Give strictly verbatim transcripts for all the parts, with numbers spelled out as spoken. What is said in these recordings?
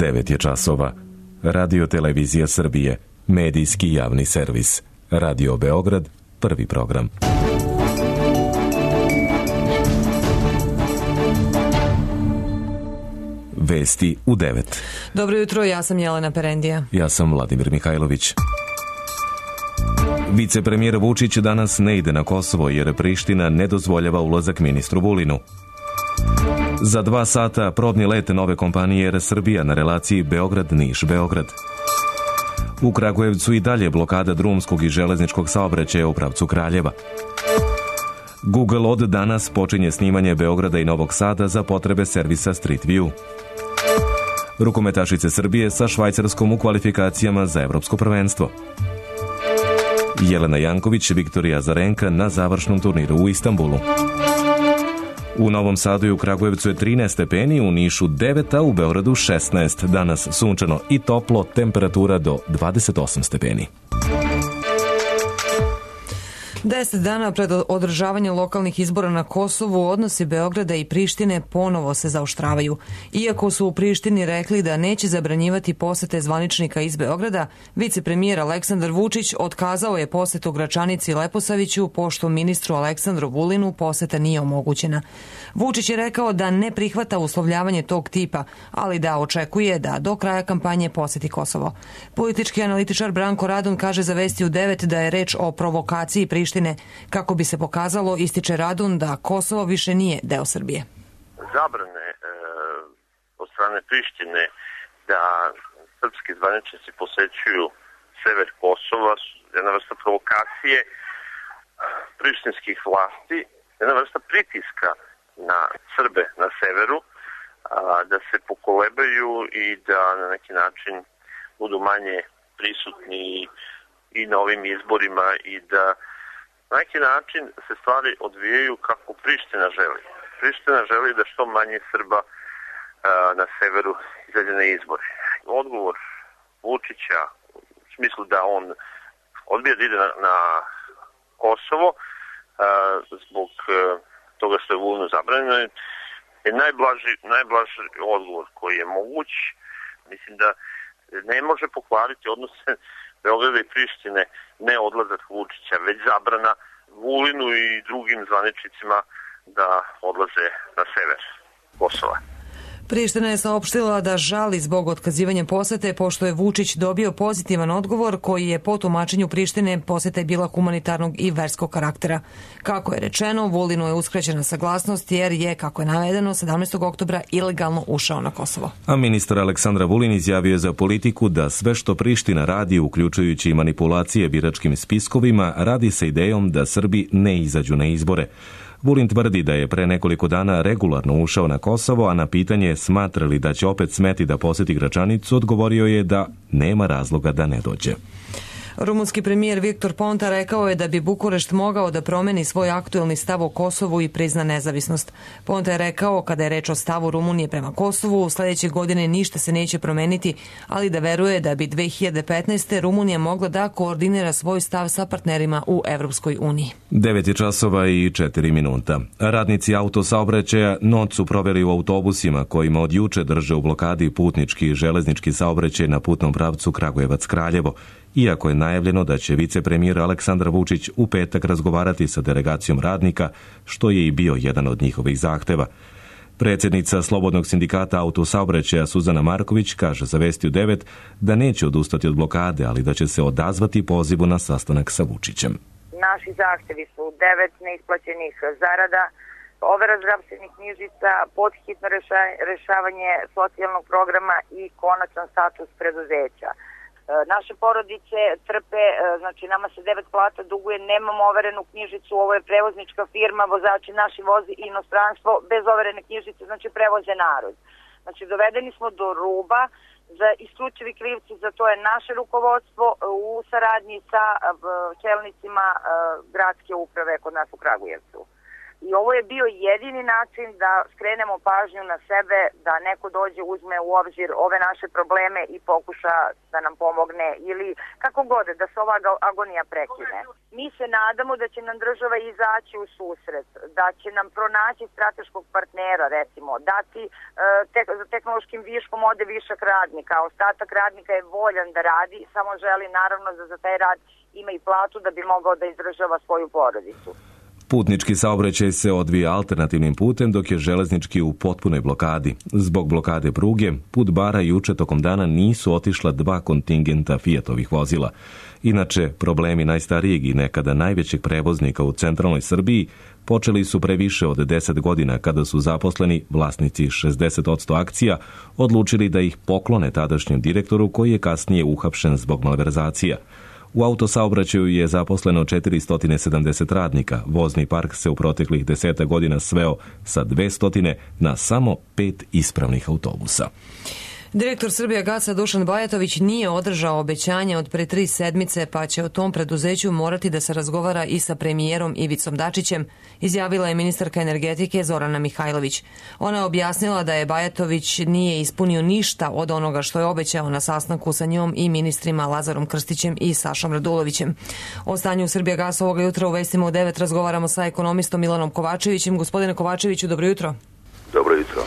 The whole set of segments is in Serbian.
devet je časova. Radio Televizija Srbije, medijski javni servis. Radio Beograd, prvi program. Vesti u devet. Dobro jutro, ja sam Jelena Perendija. Ja sam Vladimir Mihajlović. Vicepremijer Vučić danas ne ide na Kosovo jer Priština ne dozvoljava ulazak ministru Vulinu. Za dva sata probni let nove kompanije Er Srbija na relaciji Beograd-Niš-Beograd. U Kragujevcu i dalje blokada drumskog i železničkog saobraćaja u pravcu Kraljeva. Google od danas počinje snimanje Beograda i Novog Sada za potrebe servisa Street View. Rukometašice Srbije sa Švajcarskom u kvalifikacijama za evropsko prvenstvo. Jelena Janković, Viktorija Azarenka na završnom turniru u Istanbulu. U Novom Sadu i u Kragujevcu je trinaest stepeni, u Nišu devet, a u Beogradu šesnaest. Danas sunčano i toplo, temperatura do dvadeset osam stepeni. Deset dana pred održavanje lokalnih izbora na Kosovu, odnosi Beograda i Prištine ponovo se zaoštravaju. Iako su u Prištini rekli da neće zabranjivati posete zvaničnika iz Beograda, vicepremijer Aleksandar Vučić otkazao je posetu Gračanici i Leposaviću, pošto ministru Aleksandru Vulinu poseta nije omogućena. Vučić je rekao da ne prihvata uslovljavanje tog tipa, ali da očekuje da do kraja kampanje poseti Kosovo. Politički analitičar Branko Radon kaže za Vesti u devet da je reč o provokaciji Prištine. Kako bi se pokazalo, ističe Radun da Kosovo više nije deo Srbije. Zabrane e, od strane Prištine da srpski zvaničnici posećuju sever Kosova su jedna vrsta provokacije prištinskih vlasti, jedna vrsta pritiska na Srbe na severu, a, da se pokolebaju i da na neki način budu manje prisutni i na ovim izborima i da na neki način se stvari odvijaju kako Priština želi. Priština želi da što manje Srba a, na severu izađe na izbore. Odgovor Vučića u smislu da on odbija da ide na, na Kosovo a, zbog a, toga što je Vulinu zabranjeno je najblaži, najblaži odgovor koji je moguć. Mislim da ne može pokvariti odnose Beograda i Prištine ne odlazak Vučića, već zabrana Vulinu i drugim zvaničnicima da odlaze na sever Kosova. Priština je saopštila da žali zbog otkazivanja posete, pošto je Vučić dobio pozitivan odgovor koji je po tumačenju Prištine poseta je bila humanitarnog i verskog karaktera. Kako je rečeno, Vulinu je uskraćena saglasnost jer je, kako je navedeno, sedamnaestog oktobra ilegalno ušao na Kosovo. A ministar Aleksandar Vulin izjavio je za Politiku da sve što Priština radi, uključujući manipulacije biračkim spiskovima, radi sa idejom da Srbi ne izađu na izbore. Vulin tvrdi da je pre nekoliko dana regularno ušao na Kosovo, a na pitanje smatra li da će opet smeti da poseti Gračanicu, odgovorio je da nema razloga da ne dođe. Rumunski premijer Viktor Ponta rekao je da bi Bukurešt mogao da promeni svoj aktuelni stav o Kosovu i prizna nezavisnost. Ponta je rekao, kada je reč o stavu Rumunije prema Kosovu, u sledeće godine ništa se neće promeniti, ali da veruje da bi dve hiljade petnaeste. Rumunija mogla da koordinira svoj stav sa partnerima u Evropskoj uniji. devet je časova i četiri minuta. Radnici autosaobraćaja noć su proveli u autobusima kojima od juče drže u blokadi putnički i železnički saobraćaj na putnom pravcu Kragujevac-Kraljevo. Iako je najavljeno da će vicepremijer Aleksandar Vučić u petak razgovarati sa delegacijom radnika, što je i bio jedan od njihovih zahteva. Predsjednica Slobodnog sindikata autosaobraćaja Suzana Marković kaže za Vesti u devet da neće odustati od blokade, ali da će se odazvati pozivu na sastanak sa Vučićem. Naši zahtevi su devet neisplaćenih zarada, overa zdravstvenih knjižica, podhitno rešavanje socijalnog programa i konačan status preduzeća. Naše porodice trpe, znači nama se devet plata duguje, nemamo overenu knjižicu, ovo je prevoznička firma, vozači naši vozi inostranstvo, bez overene knjižice, znači prevoze narod. Znači dovedeni smo do ruba, za isključivi krivci za to je naše rukovodstvo u saradnji sa čelnicima gradske uprave kod nas u Kragujevcu. I ovo je bio jedini način da skrenemo pažnju na sebe, da neko dođe, uzme u obzir ove naše probleme i pokuša da nam pomogne ili kako god, da se ova agonija prekine. Mi se nadamo da će nam država izaći u susret, da će nam pronaći strateškog partnera, recimo, dati te, za tehnološkim viškom ode višak radnika, a ostatak radnika je voljan da radi, samo želi naravno da za taj rad ima i platu da bi mogao da izdržava svoju porodicu. Putnički saobraćaj se odvija alternativnim putem, dok je železnički u potpunoj blokadi. Zbog blokade pruge, put Bara juče tokom dana nisu otišla dva kontingenta Fiatovih vozila. Inače, problemi najstarijeg i nekada najvećeg prevoznika u centralnoj Srbiji počeli su pre više od deset godina kada su zaposleni, vlasnici šezdeset posto akcija, odlučili da ih poklone tadašnjem direktoru koji je kasnije uhapšen zbog malverzacija. U autosaobraćaju je zaposleno četiristo sedamdeset radnika. Vozni park se u proteklih deseta godina sveo sa dvesta na samo pet ispravnih autobusa. Direktor Srbijagasa Dušan Bajatović nije održao obećanje od pre tri sedmice, pa će o tom preduzeću morati da se razgovara i sa premijerom Ivicom Dačićem, izjavila je ministarka energetike Zorana Mihajlović. Ona je objasnila da je Bajatović nije ispunio ništa od onoga što je obećao na sastanku sa njom i ministrima Lazarom Krstićem i Sašom Radulovićem. O stanju u Srbijagasu ovoga jutra u Vestima u devet razgovaramo sa ekonomistom Milanom Kovačevićem. Gospodine Kovačeviću, dobro jutro. Dobro jutro.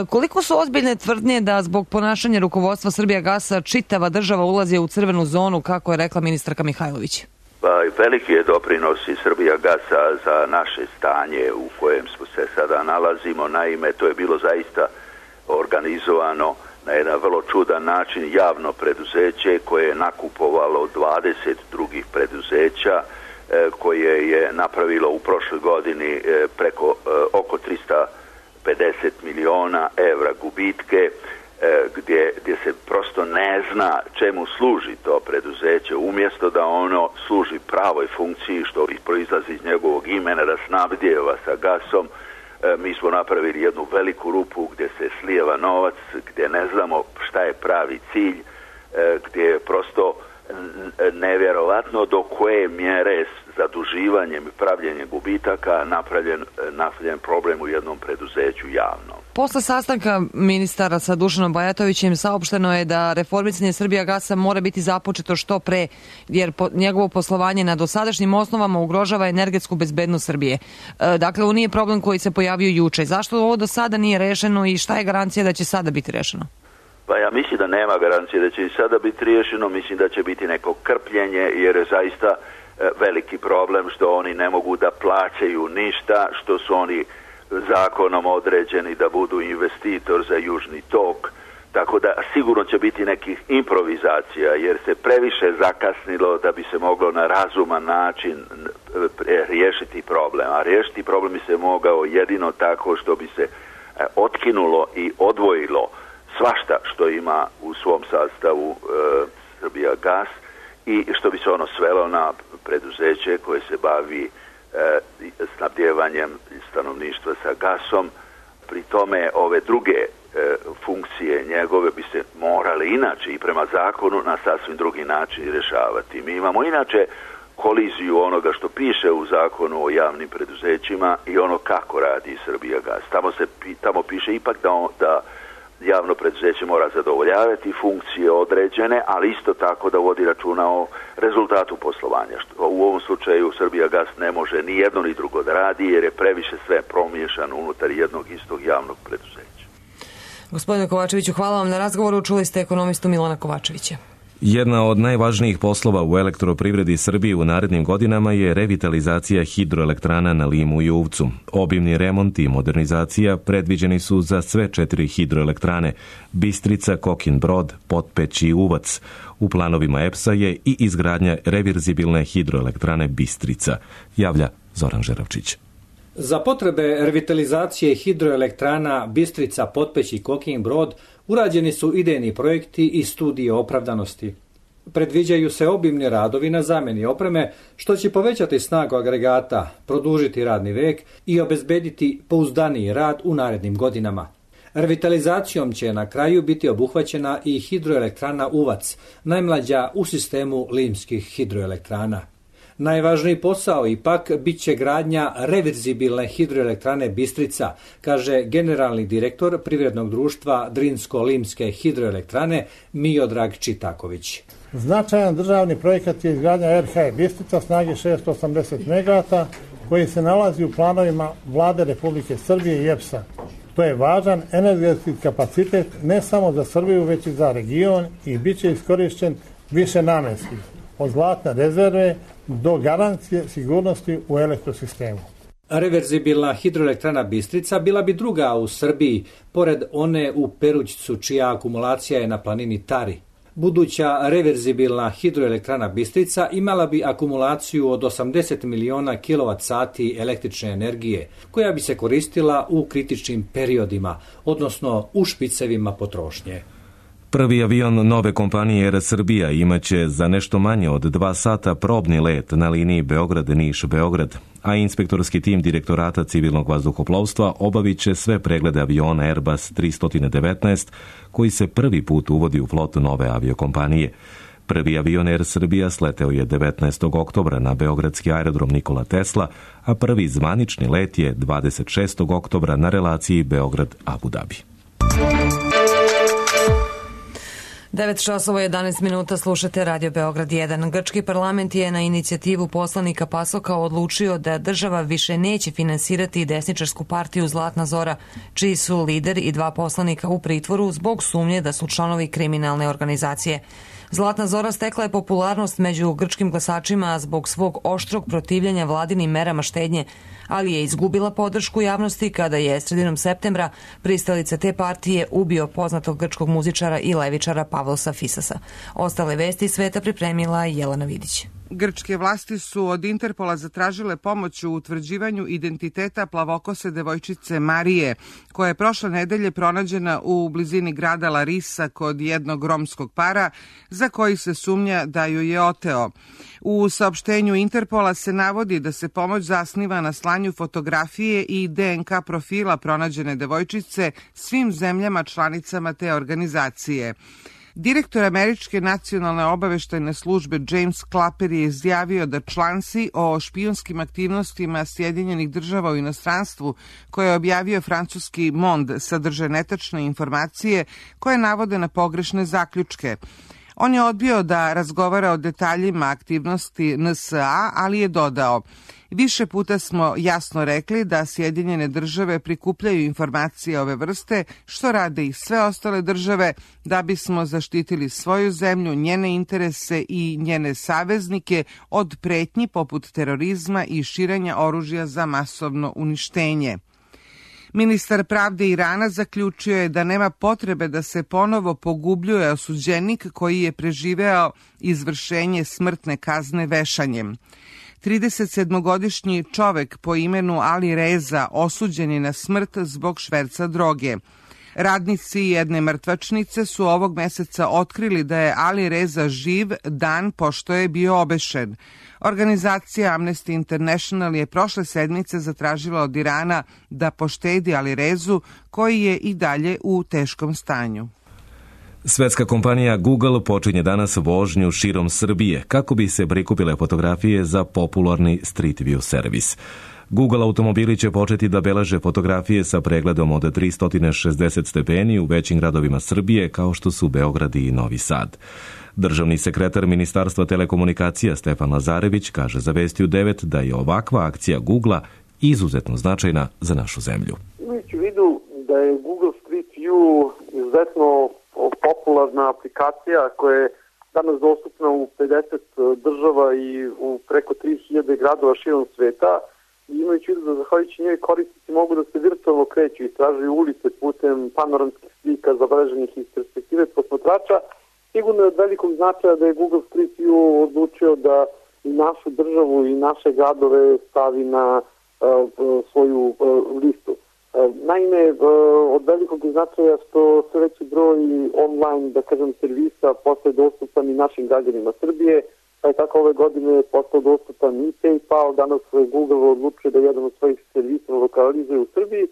Koliko su ozbiljne tvrdnje da zbog ponašanja rukovodstva Srbijagasa čitava država ulazi u crvenu zonu, kako je rekla ministarka Mihajlović? Pa, veliki je doprinos i Srbijagasa za naše stanje u kojem smo se sada nalazimo. Naime, to je bilo zaista organizovano na jedan vrlo čudan način javno preduzeće koje je nakupovalo dvadeset drugih preduzeća, koje je napravilo u prošloj godini preko oko trista pedeset miliona evra gubitke, gdje, gdje se prosto ne zna čemu služi to preduzeće, umjesto da ono služi pravoj funkciji što proizlazi iz njegovog imena, da snabdijeva sa gasom. Mi smo napravili jednu veliku rupu gdje se slijeva novac, gdje ne znamo šta je pravi cilj, gdje je prosto nevjerovatno do koje mjere zaduživanjem i pravljenjem gubitaka napravljen, napravljen problem u jednom preduzeću javno. Posle sastanka ministara sa Dušanom Bajatovićem saopšteno je da reformisanje Srbijagasa mora biti započeto što pre, jer po, njegovo poslovanje na dosadašnjim osnovama ugrožava energetsku bezbednost Srbije. E, dakle, ovo nije problem koji se pojavio juče. Zašto ovo do sada nije rešeno i šta je garancija da će sada biti rešeno? Pa ja mislim da nema garancije da će i sada biti riješeno, mislim da će biti neko krpljenje, jer je zaista veliki problem što oni ne mogu da plaćaju ništa, što su oni zakonom određeni da budu investitor za Južni tok, tako da sigurno će biti nekih improvizacija, jer se previše zakasnilo da bi se moglo na razuman način riješiti problem, a riješiti problem bi se mogao jedino tako što bi se otkinulo i odvojilo svašta što ima u svom sastavu e, Srbijagas i što bi se ono svelo na preduzeće koje se bavi e, snabdjevanjem stanovništva sa gasom. Pri tome ove druge e, funkcije njegove bi se morale inače i prema zakonu na sasvim drugi način rješavati. Mi imamo inače koliziju onoga što piše u zakonu o javnim preduzećima i ono kako radi Srbijagas. Tamo se tamo piše ipak da, on, da javno preduzeće mora zadovoljavati funkcije određene, ali isto tako da vodi računa o rezultatu poslovanja. Što u ovom slučaju Srbijagas ne može ni jedno ni drugo da radi, jer je previše sve promiješano unutar jednog istog javnog preduzeća. Gospodine Kovačeviću, hvala vam na razgovoru. Čuli ste ekonomistu Milana Kovačevića. Jedna od najvažnijih poslova u elektroprivredi Srbije u narednim godinama je revitalizacija hidroelektrana na Limu i Uvcu. Obimni remont i modernizacija predviđeni su za sve četiri hidroelektrane Bistrica, Kokin Brod, Potpeć i Uvac. U planovima E P S-a je i izgradnja reverzibilne hidroelektrane Bistrica, javlja Zoran Žeravčić. Za potrebe revitalizacije hidroelektrana Bistrica, Potpeć i Kokin Brod urađeni su idejni projekti i studije opravdanosti. Predviđaju se obimni radovi na zamjeni opreme, što će povećati snagu agregata, produžiti radni vek i obezbediti pouzdaniji rad u narednim godinama. Revitalizacijom će na kraju biti obuhvaćena i hidroelektrana Uvac, najmlađa u sistemu limskih hidroelektrana. Najvažniji posao ipak bit će gradnja reverzibilne hidroelektrane Bistrica, kaže generalni direktor privrednog društva Drinsko-Limske hidroelektrane Miodrag Čitaković. Značajan državni projekat je izgradnja R H E Bistrica snage šesto osamdeset megavata koji se nalazi u planovima Vlade Republike Srbije i E P S-a. To je važan energetski kapacitet ne samo za Srbiju, već i za region i bit će iskorišćen više namenski, od zlatne rezerve do garancije sigurnosti u elektrosistemu. Reverzibilna hidroelektrana Bistrica bila bi druga u Srbiji, pored one u Perućcu, čija akumulacija je na planini Tari. Buduća reverzibilna hidroelektrana Bistrica imala bi akumulaciju od osamdeset miliona kilovat sati električne energije, koja bi se koristila u kritičnim periodima, odnosno u špicevima potrošnje. Prvi avion nove kompanije Air Srbija imaće za nešto manje od dva sata probni let na liniji Beograd-Niš-Beograd, a inspektorski tim Direktorata civilnog vazduhoplovstva obavit će sve preglede aviona Airbus tristo devetnaest koji se prvi put uvodi u flotu nove aviokompanije. Prvi avion Air Srbija sleteo je devetnaestog oktobra na beogradski aerodrom Nikola Tesla, a prvi zvanični let je dvadeset šestog oktobra na relaciji Beograd-Abu Dhabi. devet časova jedanaest minuta, slušate Radio Beograd jedan. Grčki parlament je na inicijativu poslanika Pasoka odlučio da država više neće finansirati desničarsku partiju Zlatna Zora, čiji su lider i dva poslanika u pritvoru zbog sumnje da su članovi kriminalne organizacije. Zlatna Zora stekla je popularnost među grčkim glasačima zbog svog oštrog protivljenja vladinim merama štednje, ali je izgubila podršku javnosti kada je sredinom septembra pristalica te partije ubio poznatog grčkog muzičara i levičara Pavlosa Fisasa. Ostale vesti sveta pripremila Jelena Vidić. Grčke vlasti su od Interpola zatražile pomoć u utvrđivanju identiteta plavokose devojčice Marije, koja je prošle nedelje pronađena u blizini grada Larisa kod jednog romskog para, za koji se sumnja da ju je oteo. U saopštenju Interpola se navodi da se pomoć zasniva na slanju fotografije i D N K profila pronađene devojčice svim zemljama članicama te organizacije. Direktor Američke nacionalne obaveštajne službe James Clapper je izjavio da članci o špijunskim aktivnostima Sjedinjenih država u inostranstvu koje je objavio francuski Monde sadrže netačne informacije koje navode na pogrešne zaključke. On je odbio da razgovara o detaljima aktivnosti N S A, ali je dodao: više puta smo jasno rekli da Sjedinjene države prikupljaju informacije ove vrste, što rade i sve ostale države, da bismo zaštitili svoju zemlju, njene interese i njene saveznike od pretnji poput terorizma i širenja oružja za masovno uništenje. Ministar pravde Irana zaključio je da nema potrebe da se ponovo pogubljuje osuđenik koji je preživeo izvršenje smrtne kazne vešanjem. tridesetsedmogodišnji čovek po imenu Ali Reza osuđen je na smrt zbog šverca droge. Radnici jedne mrtvačnice su ovog meseca otkrili da je Ali Reza živ dan pošto je bio obešen. Organizacija Amnesty International je prošle sedmice zatražila od Irana da poštedi Ali Rezu, koji je i dalje u teškom stanju. Svetska kompanija Google počinje danas vožnju širom Srbije kako bi se prikupile fotografije za popularni Street View servis. Google automobili će početi da beleže fotografije sa pregledom od tristo šezdeset stepeni u većim gradovima Srbije kao što su Beograd i Novi Sad. Državni sekretar Ministarstva telekomunikacija Stefan Lazarević kaže za Vesti u devet da je ovakva akcija Googlea izuzetno značajna za našu zemlju. Imajući u vidu da je Google Street View izuzetno popularna aplikacija koja je danas dostupna u pedeset država i u preko tri hiljade gradova širom sveta, i imajući u vidu da zahvaljujući njoj korisnici mogu da se virtualno kreću i tražuju ulice putem panoramskih slika zabeleženih iz perspektive posmatrača, sigurno je od velikog značaja da je Google Street View odlučio da i našu državu i naše gradove stavi na uh, svoju uh, listu. Naime, od velikog značaja što sve veći broj online, da kažem, servisa postaje dostupan i našim građanima Srbije, pa je tako ove godine postao dostupan i PayPal, danas Google odlučuje da jedan od svojih servisa lokalizuje u Srbiji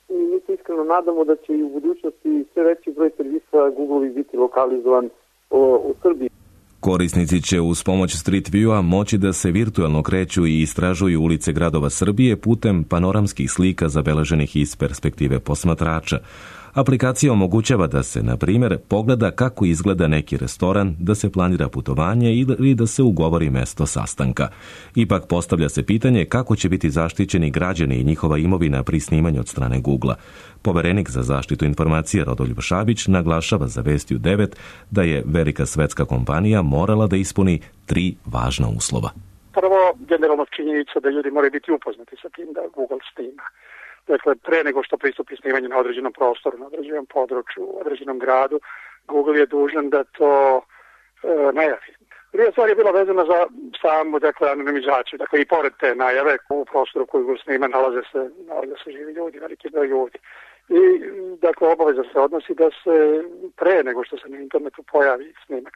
i mi se iskreno nadamo da će i u budućnosti sve veći broj servisa Google biti lokalizovan u Srbiji. Korisnici će uz pomoć Street View-a moći da se virtualno kreću i istražuju ulice gradova Srbije putem panoramskih slika zabeleženih iz perspektive posmatrača. Aplikacija omogućava da se, na primjer, pogleda kako izgleda neki restoran, da se planira putovanje ili da se ugovori mesto sastanka. Ipak postavlja se pitanje kako će biti zaštićeni građani i njihova imovina pri snimanju od strane Google-a. Poverenik za zaštitu informacija Rodoljub Šabić naglašava za Vesti u devet da je velika svetska kompanija morala da ispuni tri važna uslova. Prvo, generalno činjenica da ljudi moraju biti upoznati sa tim da Google snima. Dakle, pre nego što pristupi snimanju na određenom prostoru, na određenom području, u određenom gradu, Google je dužan da to e, najavi. Druga stvar je bila vezana za samu, dakle, anonimizaciju. Dakle, i pored te najave u prostoru koju Google snima nalaze se, nalaze se živi ljudi, veliki broj ljudi. I, dakle, obaveza se odnosi da se pre nego što se na internetu pojavi snimak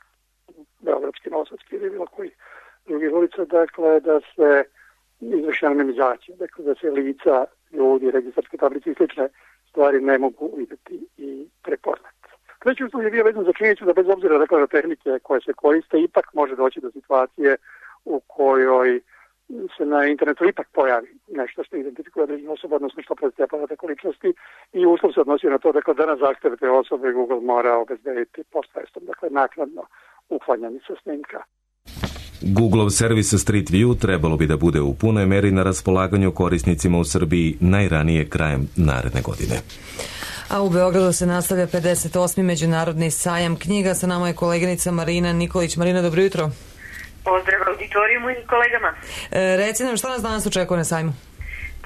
beogradski, novosadski ili bilo koji drugi ulica, dakle, da se izvrši anonimizacija, dakle, da se lica ljudi, registarske tablice i slične stvari ne mogu vidjeti i prepoznati. Treći uslov je bio vezan za činjenicu da bez obzira dakle, na tehnike koje se koriste, ipak može doći do situacije u kojoj se na internetu ipak pojavi nešto što identifikuje određenu osobu, odnosno što predstavlja podatak o ličnosti i uslov se odnosi na to dakle, da na zahteve te osobe Google mora obezbediti post festom, dakle naknadno uklanjanje sa snimka. Googlov servis Street View trebalo bi da bude u punoj meri na raspolaganju korisnicima u Srbiji najranije krajem naredne godine. A u Beogradu se nastavlja pedeset osmi Međunarodni sajam knjiga. Sa nama je koleginica Marina Nikolić. Marina, dobro jutro. Pozdrav auditorijumu i kolegama. E, reci nam šta nas danas očekuje na sajmu?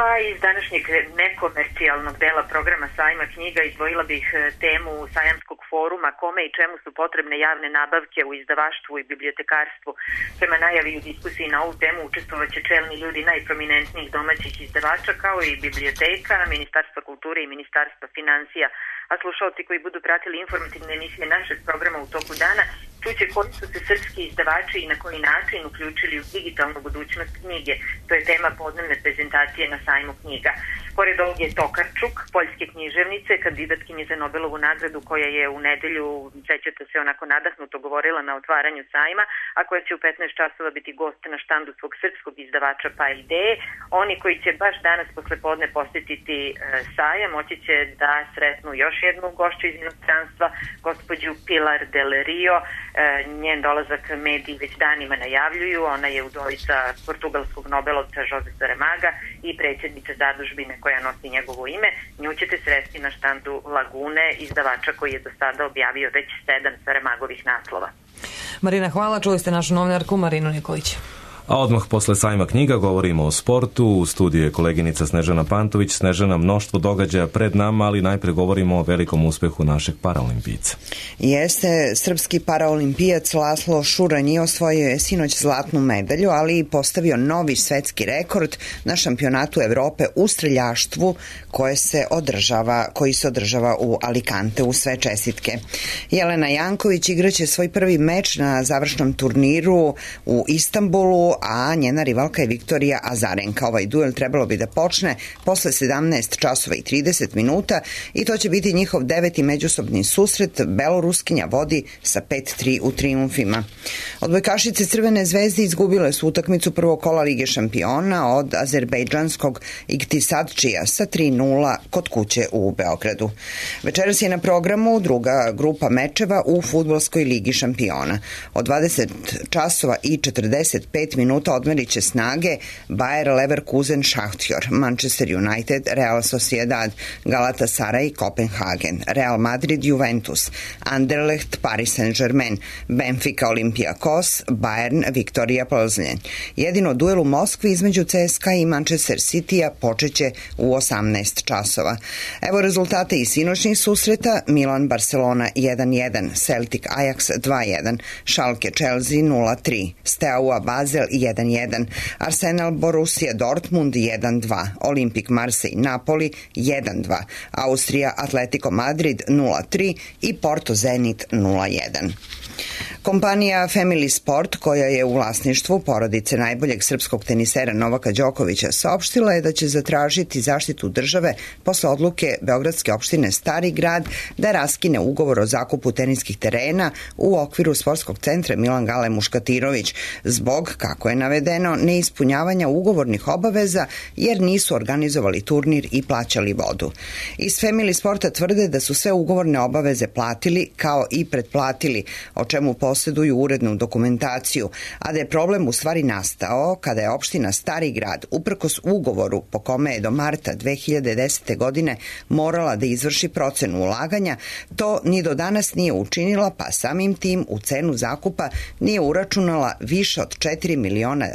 Pa iz današnjeg nekomercijalnog dela programa sajma knjiga izdvojila bih temu sajamskog foruma kome i čemu su potrebne javne nabavke u izdavaštvu i bibliotekarstvu. Prema najavi u diskusiji na ovu temu učestvovaće čelni ljudi najprominentnijih domaćih izdavača kao i biblioteka, Ministarstva kulture i Ministarstva financija. A slušalci koji budu pratili informativne emisije našeg programa u toku dana čuće koji su se srpski izdavači i na koji način uključili u digitalnu budućnost knjige. To je tema podnevne prezentacije na sajmu knjiga. Pored ovog je Tokarčuk, poljske književnice, kandidatkinje za Nobelovu nagradu koja je u nedelju, sećate se, onako nadahnuto govorila na otvaranju sajma, a koja će u petnaest časova biti gost na štandu svog srpskog izdavača Pa ideje. Oni koji će baš danas posle podne posjetiti e, sajam, moći će da sretnu još jednu gošću iz inostranstva, gospođu Pilar del Rio. E, njen dolazak mediji već danima najavljuju. Ona je udovica portugalskog nobelovca Jose Saramaga i predsjednica zadužbine koja nosi njegovo ime. Nju ćete sresti na štandu Lagune, izdavača koji je do sada objavio već sedam Saramagovih naslova. Marina, hvala. Čuli ste našu novinarku Marinu Nikolić. A odmah posle sajma knjiga govorimo o sportu. U studiju je koleginica Snežana Pantović. Snežana, mnoštvo događaja pred nama, ali najpre govorimo o velikom uspehu našeg paraolimpijica. Jeste, srpski paraolimpijac Laslo Šuranji osvojio je sinoć zlatnu medalju, ali i postavio novi svetski rekord na šampionatu Evrope u streljaštvu koje se održava, koji se održava u Alicante. U sve čestitke. Jelena Janković igraće svoj prvi meč na završnom turniru u Istanbulu, a njena rivalka je Viktorija Azarenka. Ovaj duel trebalo bi da počne posle sedamnaest časova i trideset minuta i to će biti njihov deveti međusobni susret. Beloruskinja vodi sa pet tri u trijumfima. Odbojkašice Crvene zvezde izgubile su utakmicu prvog kola Lige šampiona od azerbejdžanskog Iktisadčija sa tri nula kod kuće u Beogradu. Večeras je na programu druga grupa mečeva u fudbalskoj Ligi šampiona. Od dvadeset časova i četrdeset pet minuta odmerit će snage Bayer Leverkusen Šahtjor, Manchester United, Real Sociedad, Galatasaray, Kopenhagen, Real Madrid, Juventus, Anderlecht, Paris Saint-Germain, Benfica, Olympiakos, Bayern, Viktorija Plzeň. Jedino duel u Moskvi između C S K A i Manchester City-a počeće u osamnaest časova. Evo rezultate i sinoćnih susreta: Milan Barcelona jedan jedan, Celtic Ajax dva jedan, Schalke Chelsea nula tri, Steaua Basel jedan jedan, Arsenal Borussia Dortmund jedan dva, Olimpik Marseille Napoli jedan dva, Austrija Atletico Madrid nula tri i Porto Zenit nula jedan. Kompanija Family Sport, koja je u vlasništvu porodice najboljeg srpskog tenisera Novaka Đokovića, saopštila je da će zatražiti zaštitu države posle odluke Beogradske opštine Stari Grad da raskine ugovor o zakupu teniskih terena u okviru sportskog centra Milan Gale Muškatirović zbog, kako je navedeno, neispunjavanja ugovornih obaveza jer nisu organizovali turnir i plaćali vodu. Iz Family Sporta tvrde da su sve ugovorne obaveze platili kao i pretplatili, o čemu posjeduju urednu dokumentaciju, a da je problem u stvari nastao kada je opština Stari Grad uprkos ugovoru po kome je do marta dve hiljade desete. godine morala da izvrši procenu ulaganja, to ni do danas nije učinila, pa samim tim u cenu zakupa nije uračunala više od četiri miliona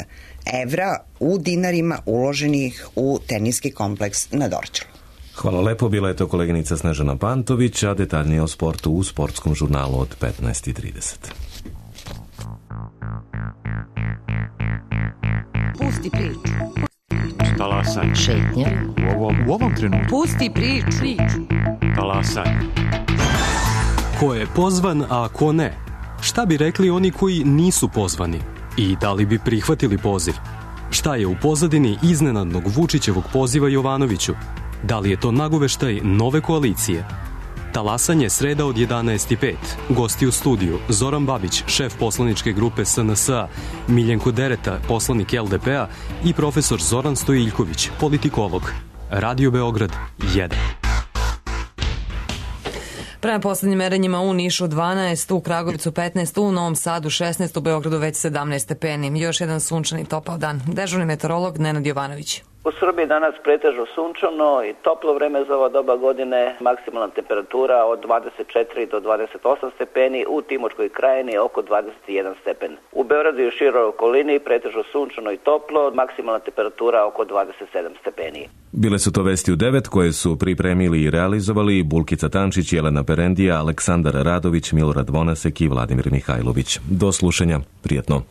evra u dinarima uloženih u teniski kompleks na Dorćolu. Hvala lepo, bila je to koleginica Snežana Pantović, a detaljnije o sportu u sportskom žurnalu od petnaest i trideset. Pusti priču. Talasaj. Šetnja. U ovom, u ovom trenutku. Pusti priču. Talasaj. Ko je pozvan, a ko ne? Šta bi rekli oni koji nisu pozvani? I da li bi prihvatili poziv? Šta je u pozadini iznenadnog Vučićevog poziva Jovanoviću? Da li je to nagoveštaj nove koalicije? Talasanje sreda od jedanaest i pet. Gosti u studiju Zoran Babić, šef poslaničke grupe S N S A, Miljenko Dereta, poslanik L D P-a i profesor Zoran Stojiljković, politikolog. Radio Beograd jedan. Prema poslednjim merenjima u Nišu dvanaest, u Kragujevcu petnaest, u Novom Sadu šesnaest, u Beogradu već sedamnaest stepeni. Još jedan sunčani topao dan. Dežurni meteorolog Nenad Jovanović. U Srbiji danas pretežno sunčano i toplo vreme za ova doba godine, maksimalna temperatura od dvadeset četiri do dvadeset osam stepeni, u Timočkoj krajini oko dvadeset jedan stepen. U Beogradu i široj okolini pretežno sunčano i toplo, maksimalna temperatura oko dvadeset sedam stepeni. Bile su to vesti u devet koje su pripremili i realizovali Bulkica Tančić, Jelena Perendija, Aleksandar Radović, Milorad Vonasek i Vladimir Mihajlović. Do slušanja, prijetno.